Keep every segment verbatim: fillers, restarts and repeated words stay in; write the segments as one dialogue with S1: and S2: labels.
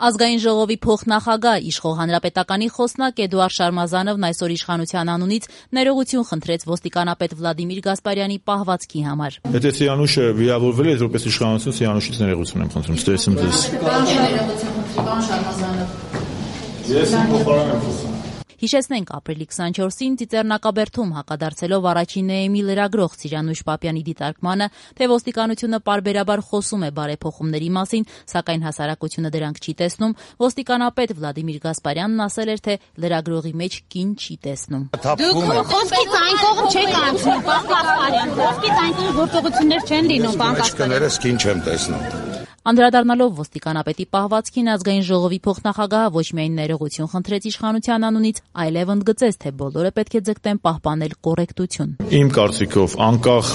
S1: Ազգային ժողովի փոխնախագահ իշխող հանրապետականի խոսնակ Էդուարդ Շարմազանովն այսօր իշխանության անունից ներողություն խնդրեց ոստիկանապետ Վլադիմիր Գասպարյանի պահվածքի համար։
S2: Եթե Սիանուշը վիրավորվել է, որպես իշխանություն Սիանուշից ներողություն եմ խնդրում, ստեսում ձեզ։
S1: Պարոն Շարմազանով,
S2: ես փոխարեն եմ խոսում։
S1: Հիշեցնենք, ապրիլի քսաներկուսին Ծիծեռնակաբերդում հակադարձելով առաջին Էեմի լրագրող Սիրանուշ Պապյանի դիտարկմանը, թե ոստիկանությունը պարբերաբար խոսում է բարեփոխումների մասին, սակայն հասարակությունը դրանք չի տեսնում, ոստիկանապետ Վլադիմիր Գասպարյանն ասել էր, թե լրագրողի մեջ կին չի տեսնում։
S3: Դուք խոսքից այն կողմ չեք անցնում, պարոն Գասպարյան, խոսքից այն կողմ գործողություններ չեն լինում, պարոն Գասպարյան։
S4: Կներես կին չեմ տեսնում։
S1: Անդրադառնալով ոստիկանապետի պահվածքին, ազգային ժողովի փոխնախագահը ոչ միայն ներողություն խնդրեց իշխանության անունից, այլև ընդգծեց, թե բոլորը պետք է ձգտեն պահպանել կոռեկտություն։
S2: Իմ կարծիքով, անկախ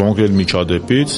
S2: կոնկրետ միջադեպից,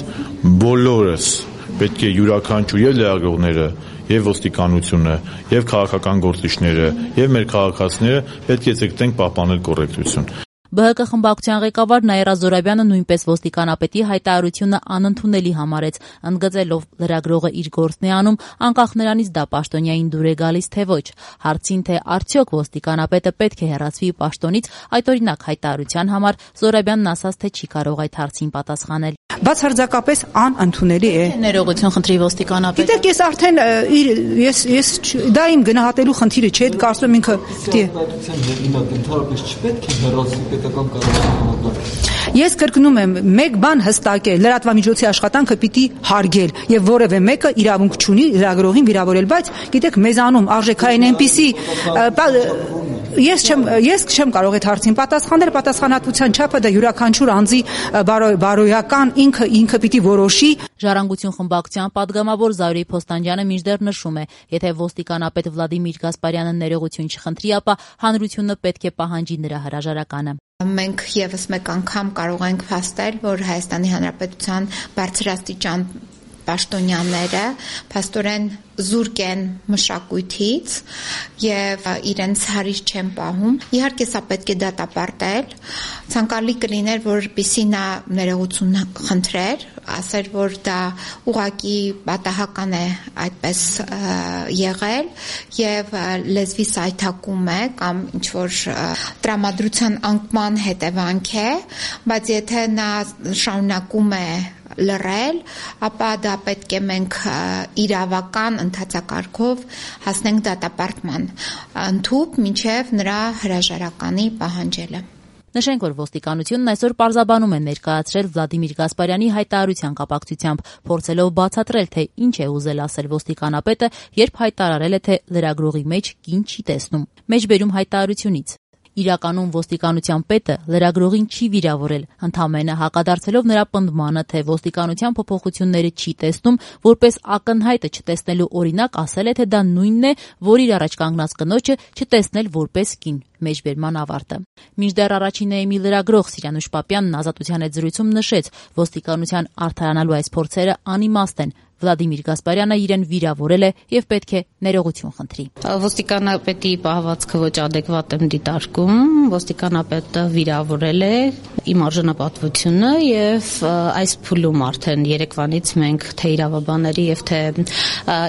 S2: բոլորս պետք է յուրաքանչյուր եւ լրագրողները, եւ ոստիկանությունը, եւ քաղաքական գործիչները, եւ մեր քաղաքացիները պետք է ձգտենք պահպանել կոռեկտություն։
S1: Բ Հ Կ խմբակցության ղեկավար Նաիրա Զորաբյանը նույնպես ոստիկանապետի հայտարարությունը անընդունելի համարեց, ընդգծելով լրագրողը իր գործն է անում, անկախ նրանից դա պաշտոնյային դուր է գալիս թե ոչ։ Հարցին, թե արդյոք ոստիկանապետը պետք է հեռացվի պաշտոնից, այդօրինակ հայտարարության համար Զորաբյանն ասաց, թե չի կարող այդ հարցին պատասխանել։
S5: Բացարձակապես անընդունելի է։
S1: Ներողություն խնդրի ոստիկանապետը։
S5: Գիտեք, ես արդեն ես ես դա իմ գնահատելու խնդիրը չէ, կարծում եմ ինքը Ես կրկնում եմ, մեկ բան հստակ է, լրատվամիջոցի աշխատանքը պիտի հարգել եւ որևէ մեկը իրավունք չունի լրագրողին վիրավորել, բայց գիտեք, մեզանում արժեքային այնպիսի ես չեմ ես չեմ կարող այդ հարցին պատասխանել, պատասխանատվության չափը դա յուրաքանչյուր անձի բարոյական ինքը ինքը պիտի որոշի։
S1: Ժառանգություն խմբակցության падգամավոր Զարուհի Փոստանջյանը մինչդեռ նշում է, եթե ոստիկանապետ Վլադիմիր Գասպարյանը ներողություն չխնդրի, ապա հանրությունը պետք է պահանջի նրա հրաժարականը։
S6: Մենք եւս մեկ անգամ կարող ենք փաստել, որ Հայաստանի Հանրապետության բարձրաստիճան պաշտոնյաները փաստորեն զուրկ են մշակույթից եւ իրենց հարիր չեն պահում։ Իհարկե սա պետք է դատապարտել։ Ցանկալի կլիներ, որպեսզի նա ներողություն խնդրեր, ասեր, որ դա ուղղակի պատահական է այդպես եղել եւ լեզվի սայթակում է կամ ինչ որ տրամադրության անկման հետևանք է, բայց եթե նա շարունակում է լռել, ապա դա պետք է մենք իրավական ընթացակարգով հասնենք դատապարտման ընդհուպ մինչև նրա հրաժարականի պահանջելը։
S1: Նշենք, որ ոստիկանությունն այսօր պարզաբանում է ներկայացրել Վլադիմիր Գասպարյանի հայտարարության կապակցությամբ, փորձելով բացատրել, թե ինչ է ուզել ասել ոստիկանապետը, երբ հայտարարել է, թե լրագրողի մեջ կին չի տեսնում։ Մեջբերում հայտարարությունից. Իրականում ոստիկանության պետը լրագրողին չի վիրավորել, ընդամենը հակադարձելով նրա պնդմանը, թե ոստիկանության փոփոխությունները չի տեսնում, որպես ակնհայտը չտեսնելու օրինակ ասել է, թե դա նույնն է, որ իր առաջ կանգնած կնոջը չտեսնել որպես կին։ Մեջբերման ավարտը։ Մինչդեռ առաջին Էեմի լրագրող Սիրանուշ Պապյանն Ազատության հետ զրույցում նշեց, ոստիկանության արդարանալու այս փորձերը անիմաստ են։ Վլադիմիր Գասպարյանը իրեն վիրավորել է եւ պետք է ներողություն խնդրի։
S3: Ոստիկանապետի պահվածքը ոչ adekvat եմ դիտարկում, ոստիկանապետը վիրավորել է իմ արժանապատվությունը եւ այս փուլում արդեն երեկվանից մենք թե իրավաբանների եւ թե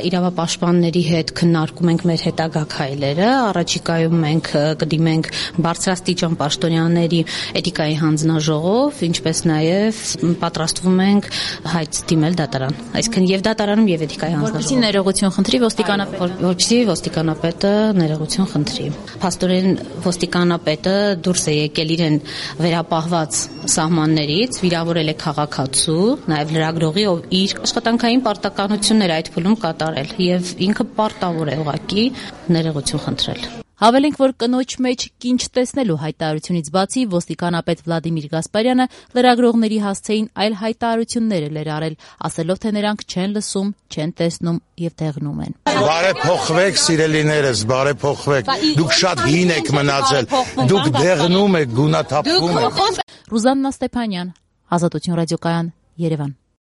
S3: իրավապաշտպանների հետ քննարկում ենք մեր հետագա քայլերը, առաջիկայում մենք կդիմենք բարձրաստիճան պաշտոնյաների էթիկայի հանձնաժողով, ինչպես նաեւ պատրաստվում ենք հայց դիմել դատարան, այսինքն եւ դատարանում եւ էթիկայի հանձնաժողով։
S1: Որպեսզի ներողություն խնդրի ոստիկանապետը,
S3: որպեսզի ոստիկանապետը ներողություն խնդրի։ Փաստորեն ոստիկանապետը դուրս է եկել իրեն վերապահված սահմաններից, վիրավորել է քաղաքացու, նաեւ լրագրողի, ով իր աշխատանքային պարտականությունները այդ փուլում կատարել եւ ինքը պարտավոր է ուղղակի ներողություն խնդրել։
S1: Հավելենք, որ կնոջ մեջ կին չտեսնելու հայտարարությունից բացի ոստիկանապետ Վլադիմիր Գասպարյանը լրագրողների հասցեին այլ հայտարարություններ էր արել, ասելով, թե նրանք չեն լսում, չեն տեսնում եւ դեղնում են։
S4: Բարեփոխվեք, սիրելիներս, բարեփոխվեք։ Դուք շատ հին եք մնացել։ Դուք դեղնում եք, գունաթափվում եք։
S1: Ռուզաննա Ստեփանյան, Ազատություն ռադիոկայան, Երևան։